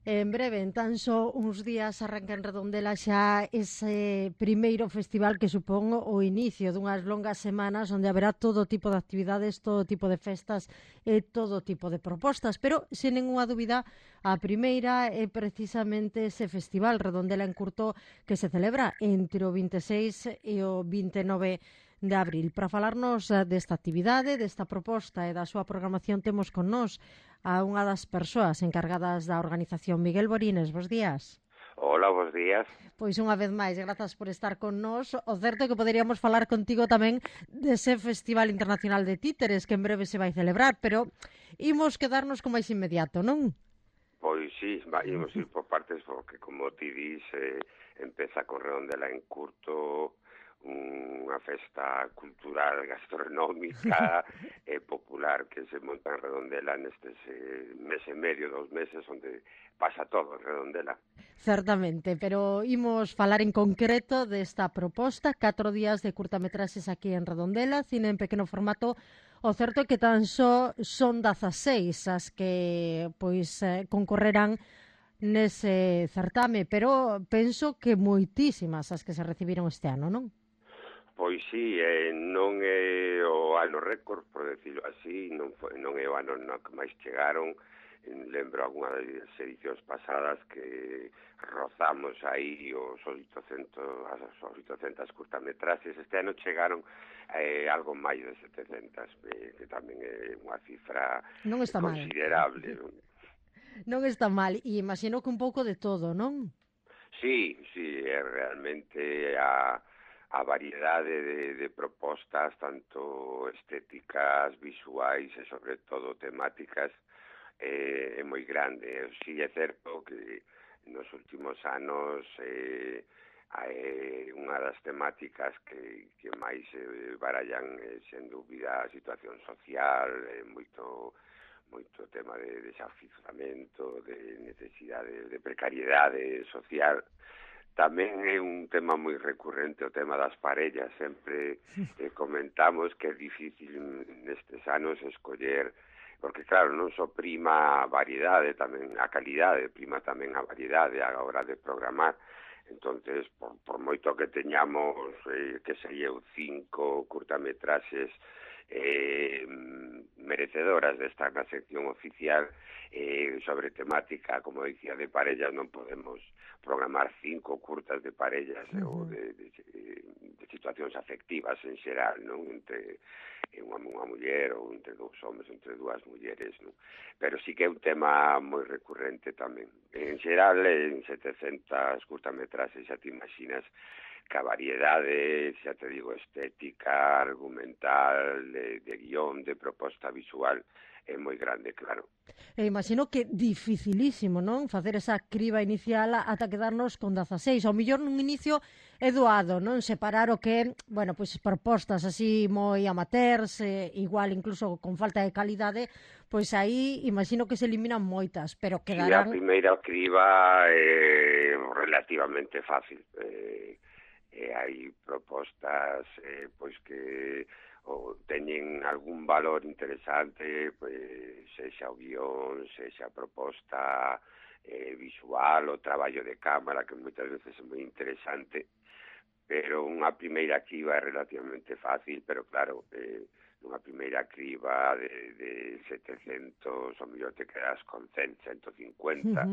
En breve, en tan só uns días, arranca en Redondela xa ese primeiro festival que supón o inicio dunhas longas semanas onde haberá todo tipo de actividades, todo tipo de festas e todo tipo de propostas. Pero, sen ninguna dúbida, a primeira é precisamente ese festival Redondela en Curto que se celebra entre o 26 e o 29 de abril. Para falarnos desta actividade, desta proposta e da súa programación temos con nós a unha das persoas encargadas da organización, Miguel Borines. Bos días. Hola, bos días. Pois unha vez máis, grazas por estar con nós. O certo é que poderíamos falar contigo tamén dese Festival Internacional de Títeres que en breve se vai celebrar, pero imos quedarnos con máis inmediato, non? Pois sí, imos ir por partes porque, como ti dis, empeza con Redondela en Curto, unha festa cultural, gastronómica e popular que se monta en Redondela nestes mes e medio, 2 meses, onde pasa todo en Redondela. Certamente, pero imos falar en concreto desta proposta, 4 días de curtametraxes aquí en Redondela, cine en pequeno formato. O certo é que tan só son 16 as que concorrerán nese certame, pero penso que moitísimas as que se recibiron este ano, non? Pois sí, non é o ano récord, por decirlo así, non é o ano no que máis chegaron. Lembro algunha das edicións pasadas que rozamos aí os 800 curtametraxes. Este ano chegaron algo máis de 700, que tamén é unha cifra Non está mal. considerable. Non está mal, e imagino que un pouco de todo, non? Sí, é realmente a variedade de propostas, tanto estéticas, visuais e, sobre todo, temáticas, é moi grande. Si é certo que nos últimos anos unha das temáticas que máis barallan sen dúbida a situación social, moito tema de desafiuzamento, de necesidade de precariedade social. Tamén é un tema moi recurrente o tema das parellas. Sempre comentamos que é difícil nestes anos escoller, porque claro, non só prima a variedade, tamén a calidade, prima tamén a variedade a hora de programar. Entonces, por moito que teñamos, que sería 5 curtametraxes merecedoras de estar na sección oficial sobre temática, como dicía, de parellas, non podemos programar 5 curtas de parellas ou de situacións afectivas en xeral, non? Entre unha muller ou entre dous homens, entre dúas mulleres, non? Pero sí que é un tema moi recurrente tamén. En xeral, en 700 curtametraxes, xa te imaginas que a variedade, xa te digo, estética, argumental, de guión, de proposta visual, é moi grande, claro. E imagino que dificilísimo, non? Facer esa criba inicial ata quedarnos con 16. Ao mellor nun inicio é doado, non? Separar o que, bueno, pois propostas así moi amateurs, igual incluso con falta de calidade, pois aí imagino que se eliminan moitas, pero Si a quedarán... primeira criba é relativamente fácil. Hai propostas pois que teñen algún valor interesante, pois sexa o guión, sexa a proposta visual, o traballo de cámara, que moitas veces é moi interesante, pero unha primeira criba é relativamente fácil, pero claro, nunha primeira criba de 700, ao mellor te quedas con 100, 150,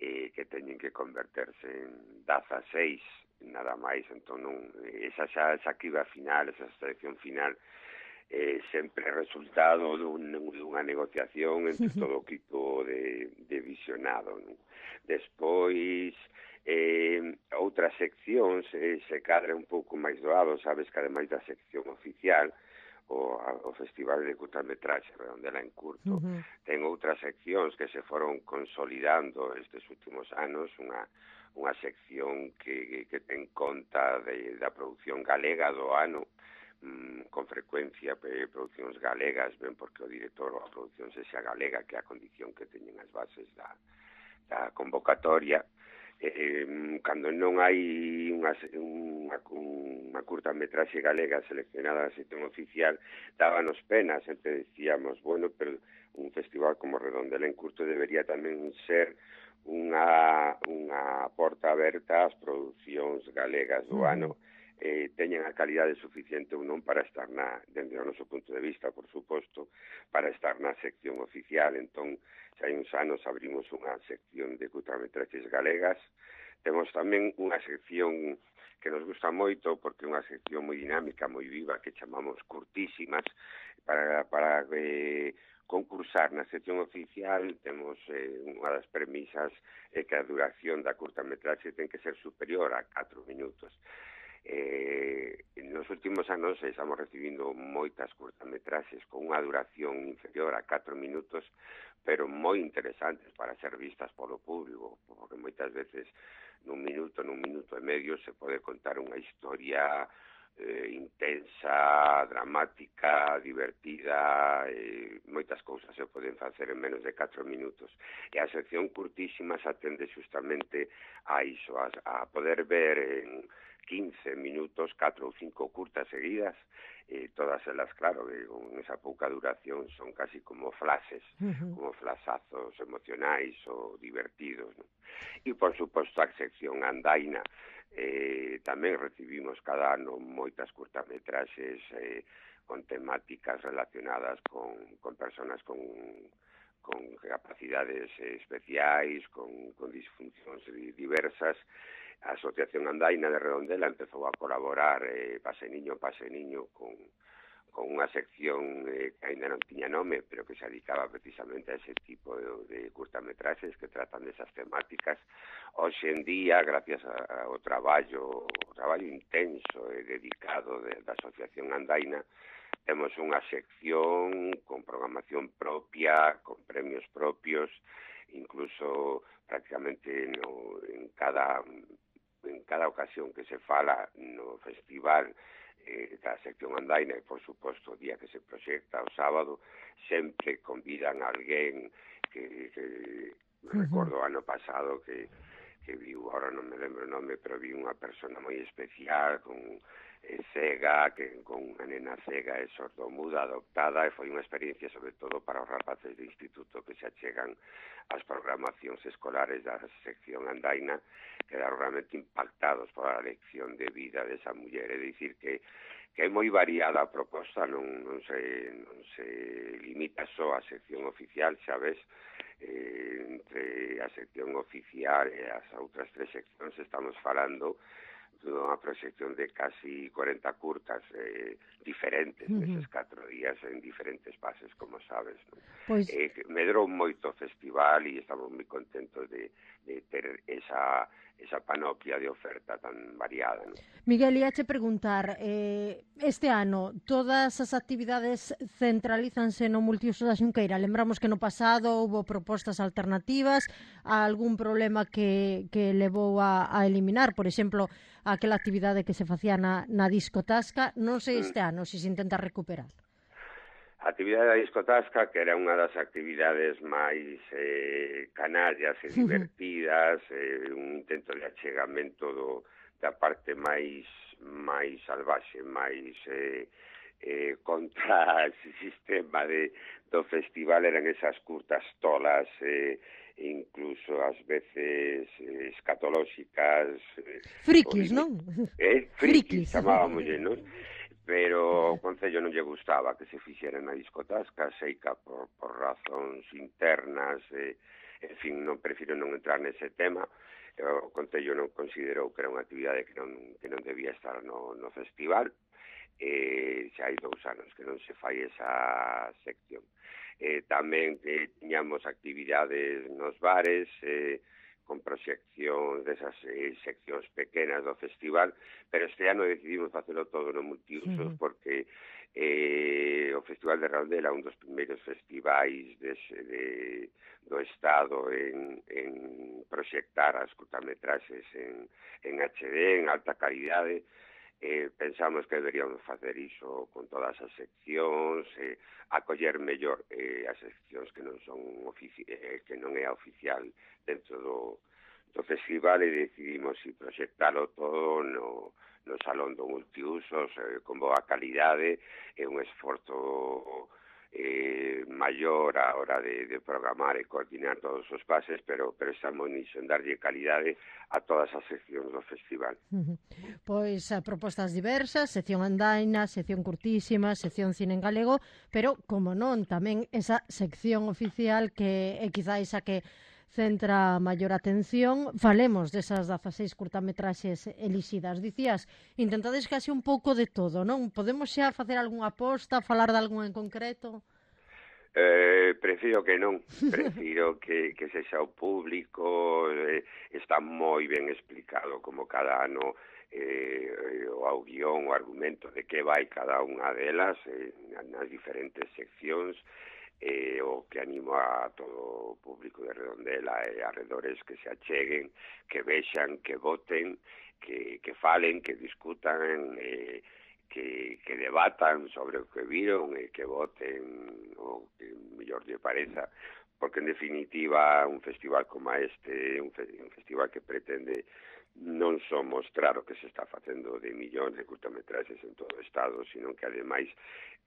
que teñen que converterse en 16, nada máis. Entón, esa criba final, esa selección final, sempre é resultado dunha negociación entre todo o equipo de visionado, non? Despois, outras seccións se cadra un pouco máis doado, sabes que ademais da sección oficial, o Festival de Curtametraxe Redondela en Curto ten outras seccións que se foron consolidando estes últimos anos, unha sección que ten conta da produción galega do ano, con frecuencia producións galegas, ben porque o director ou a produción sexa galega, que é a condición que teñen as bases da convocatoria. Cando non hai unha curtametraxe galega seleccionada na sección oficial, dábanos pena, sempre decíamos, bueno, pero un festival como Redondela en Curto debería tamén ser unha porta aberta ás producións galegas do ano, teñen a calidade suficiente ou non para estar dende o noso punto de vista, por suposto, para estar na sección oficial. Entón, xa hai uns anos abrimos unha sección de curtametraxes galegas. Temos tamén unha sección que nos gusta moito, porque é unha sección moi dinámica, moi viva, que chamamos Curtísimas, para concursar na sección oficial. Temos unha das premisas que a duración da curtametraxe ten que ser superior a 4 minutos. Nos últimos anos estamos recibindo moitas curtametraxes con unha duración inferior a 4 minutos, pero moi interesantes para ser vistas polo público, porque moitas veces nun minuto e medio se pode contar unha historia intensa, dramática, divertida, moitas cousas se poden facer en menos de 4 minutos. E a sección Curtísimas atende justamente a iso, a poder ver en 15 minutos 4 ou 5 curtas seguidas, todas elas, claro, con esa pouca duración son casi como flashes, como flasazos emocionais ou divertidos, ¿no? E, por suposto, a sección Andaina. Tamén recibimos cada ano moitas curtametraxes con temáticas relacionadas con personas con capacidades especiais, con disfuncións diversas. A Asociación Andaina de Redondela empezou a colaborar Pase Niño con unha sección que ainda non tiña nome, pero que se dedicaba precisamente a ese tipo de curtametraxes que tratan desas temáticas. Hoxe en día, gracias ao traballo intenso e dedicado da Asociación Andaina, temos unha sección con programación propia, con premios propios, incluso prácticamente en cada ocasión que se fala no festival da sección Andaina, e por suposto o día que se proxecta o sábado, sempre convidan a alguén que recordo o ano pasado que viu, ahora non me lembro o nome, pero vi unha persona moi especial con cega, con unha nena cega e sordomuda adoptada, e foi unha experiencia sobre todo para os rapaces de instituto que se achegan ás programacións escolares da sección Andaina, quedaron realmente impactados pola lección de vida desa muller. É dicir que é moi variada a proposta, non se limita só a sección oficial, xa ves, entre a sección oficial e as outras 3 seccións estamos falando dunha proxección de casi 40 curtas diferentes neses 4 días en diferentes fases, como sabes, ¿no? Pois medrou moito o festival e estamos moi contentos de ter esa panoplia de oferta tan variada, ¿no? Miguel, iache preguntar, este ano todas as actividades centralízanse no multiuso da Xunqueira? Lembramos que no pasado houve propostas alternativas, a algún problema que levou a eliminar, por exemplo, aquela actividade que se facía na discotasca. Non sei este ano se intenta recuperar. A actividade da discotasca, que era unha das actividades máis canallas e divertidas, un intento de achegamento da parte máis salvaxe, máis contra ese sistema do festival, eran esas curtas tolas, incluso ás veces escatolóxicas. Frikis, non? Frikis, chamábamos, non? Pero o Concello non lle gustaba que se fixera na discotasca, seica por razóns internas, en fin, prefiro non entrar nese tema. O Concello non considerou que era unha actividade que non debía estar no festival. Xa hai 2 anos que non se fai esa sección. Tamén tiñamos actividades nos bares, con proxección desas seccións pequenas do festival, pero este ano decidimos facelo todo no multiusos porque o Festival de Redondela é un dos primeiros festivais do Estado en proxectar as curtametraxes en HD, en alta calidade. Pensamos que deberíamos facer iso con todas as seccións, acoller mellor as seccións que non é oficial dentro do festival, e decidimos proxectalo todo no Salón do Multiusos con boa calidade. É un esforzo maior a hora de programar e coordinar todos os pases, pero estamos nisso, en darlle calidade a todas as seccións do festival. Pois propostas diversas, sección andaina, sección curtísima, sección cine en galego, pero, como non, tamén esa sección oficial que é quizáis a que centra maior atención. Falemos desas 16 curtametraxes elixidas. Dicías, intentades case un pouco de todo, non? Podemos xa facer algunha aposta, falar de algún en concreto? Prefiro que non, prefiro que sexa o público, está moi ben explicado como cada ano o guión, o argumento de que vai cada unha delas nas diferentes seccións, o que animo a todo o público de Redondela e arredores que se acheguen, que vexan, que voten, que falen, que discutan, que debatan sobre o que viron e que voten o que mellor lle pareza, porque en definitiva un festival como este, un festival que pretende non só mostrar o que se está facendo de millóns de curtametraxes en todo o Estado, sino que ademais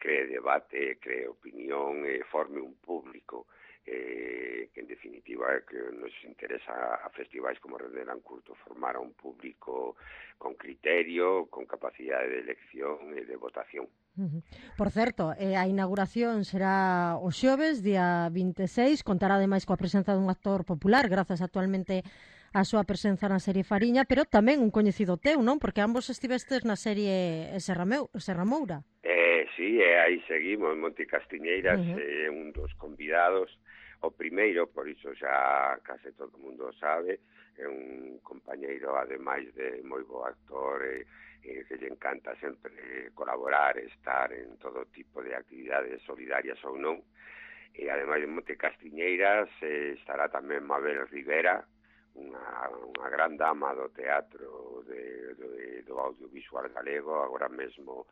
cree debate, cree opinión, forme un público que en definitiva que nos interesa a festivais como Redondela en Curto formar a un público con criterio, con capacidade de elección e de votación. Por certo, a inauguración será o xoves, día 26, contará ademais coa presenza dun actor popular, grazas actualmente a súa presenza na serie Fariña, pero tamén un coñecido teu, non? Porque ambos estivestes na serie Serra Moura. Sí, aí seguimos, Monte Castiñeiras, un dos convidados, o primeiro, por iso xa case todo o mundo sabe, é un compañeiro, ademais de moi bo actor, que lle encanta sempre colaborar, estar en todo tipo de actividades solidarias ou non, e ademais de Monte Castiñeiras estará tamén Mabel Rivera, unha gran dama do teatro do audiovisual galego, agora mesmo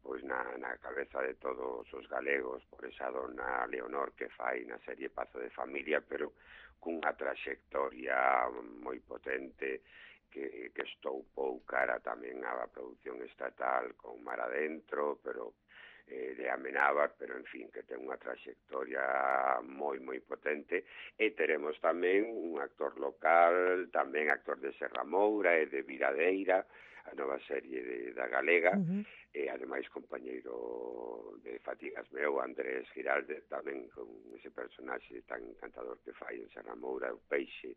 pois na cabeza de todos os galegos por esa dona Leonor que fai na serie Pazo de Familia, pero cunha traxectoria moi potente que estoupou cara tamén á produción estatal con Mar Adentro, pero de Amenábar, pero en fin, que ten unha traxectoria moi potente, e teremos tamén un actor local, tamén actor de Serra Moura e de Viradeira, a nova serie da Galega, e ademais compañeiro de Fatigas meu, Andrés Giralde, tamén con ese personaxe tan encantador que fai en Serra Moura, o Peixe,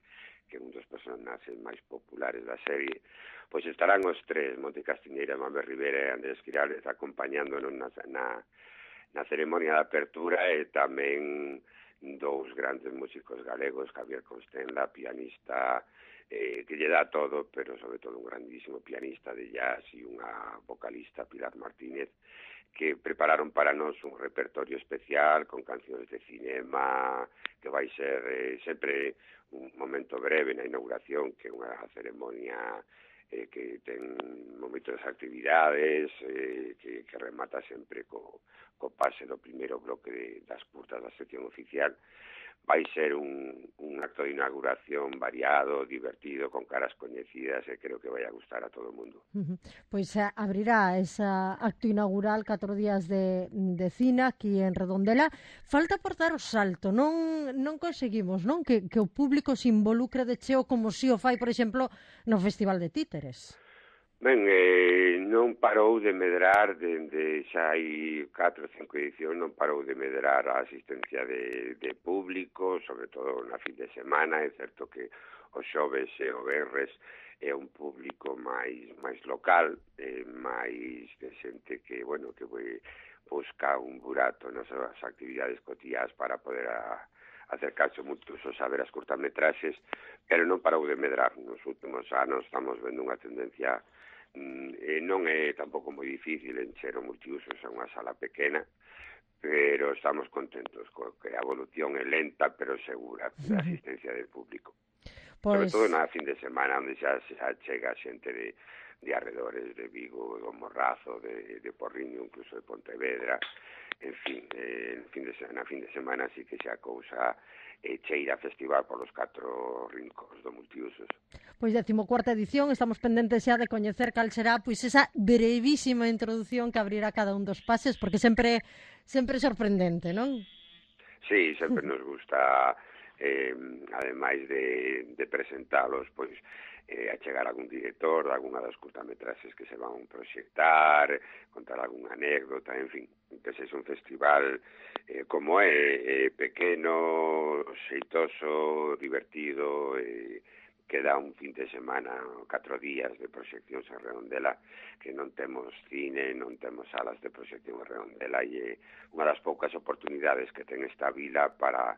que é un dos personaxes máis populares da serie. Pois estarán os tres, Monte Castiñeira, Mabel Rivera e Andrés Giralde, acompañándonos na ceremonia de apertura, e tamén dous grandes músicos galegos, Javier Constenla, pianista, que lle dá todo, pero sobre todo un grandísimo pianista de jazz, e unha vocalista, Pilar Martínez, que prepararon para nós un repertorio especial con cancións de cinema, que vai ser sempre un momento breve na inauguración, que é unha ceremonia que ten moitas actividades, que remata sempre co pase do primeiro bloque das curtas da sección oficial. Vai ser un acto de inauguración variado, divertido, con caras coñecidas, e creo que vai a gustar a todo o mundo. Pois abrirá ese acto inaugural 4 días de cine aquí en Redondela. Falta por dar o salto, non conseguimos, non? Que o público se involucre de cheo como si o fai, por exemplo, no Festival de Títeres. Ben, non parou de medrar dende xa hai 4 ou 5 edicións, non parou de medrar a asistencia de público, sobre todo na fin de semana. É certo que os xoves e o venres é un público máis local, máis de xente que, bueno, que busca un burato nas súas actividades cotiás para poder acercarse mucho a ver as curtametraxes, pero non parou de medrar. Nos últimos anos estamos vendo unha tendencia, non é tampouco moi difícil encher o multiusos a unha sala pequena, pero estamos contentos que a evolución é lenta pero segura da asistencia del público. Sobre Pois, todo na fin de semana, onde xa chega xente de arredores de Vigo, do Morrazo, de Porriño, incluso de Pontevedra, en fin, na fin de semana sí que xa cousa cheira festival polos 4 rincóns do Multiusos. pois 14ª edición, estamos pendentes xa de coñecer cal será pois esa brevísima introdución que abrirá cada un dos pases, porque sempre é sorprendente, non? Sí, sempre nos gusta, ademais de presentalos, pois, achegar algún director de algunha das curtametraxes que se van proxectar, contar algunha anécdota, en fin, que sexa un festival como pequeno, xeitoso, divertido, que dá un fin de semana, 4 días de proxeccións en Redondela, que non temos cine, non temos salas de proxección en Redondela, e unha das poucas oportunidades que ten esta vila para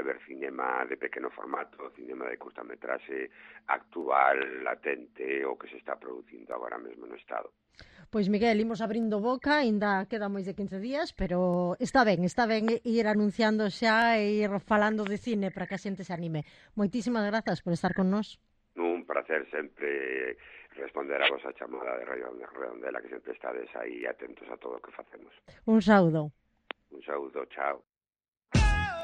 ver cinema de pequeno formato, cinema de curtametraxe actual, latente, o que se está producindo agora mesmo no Estado. Pois Miguel, imos abrindo boca, aínda queda máis de 15 días, pero está ben ir anunciando xa e ir falando de cine para que a xente se anime. Moitísimas grazas por estar con nós. Un placer sempre responder a vosa chamada de Radio Redondela, que sempre estades aí atentos a todo o que facemos. Un saúdo. Un saúdo, chao.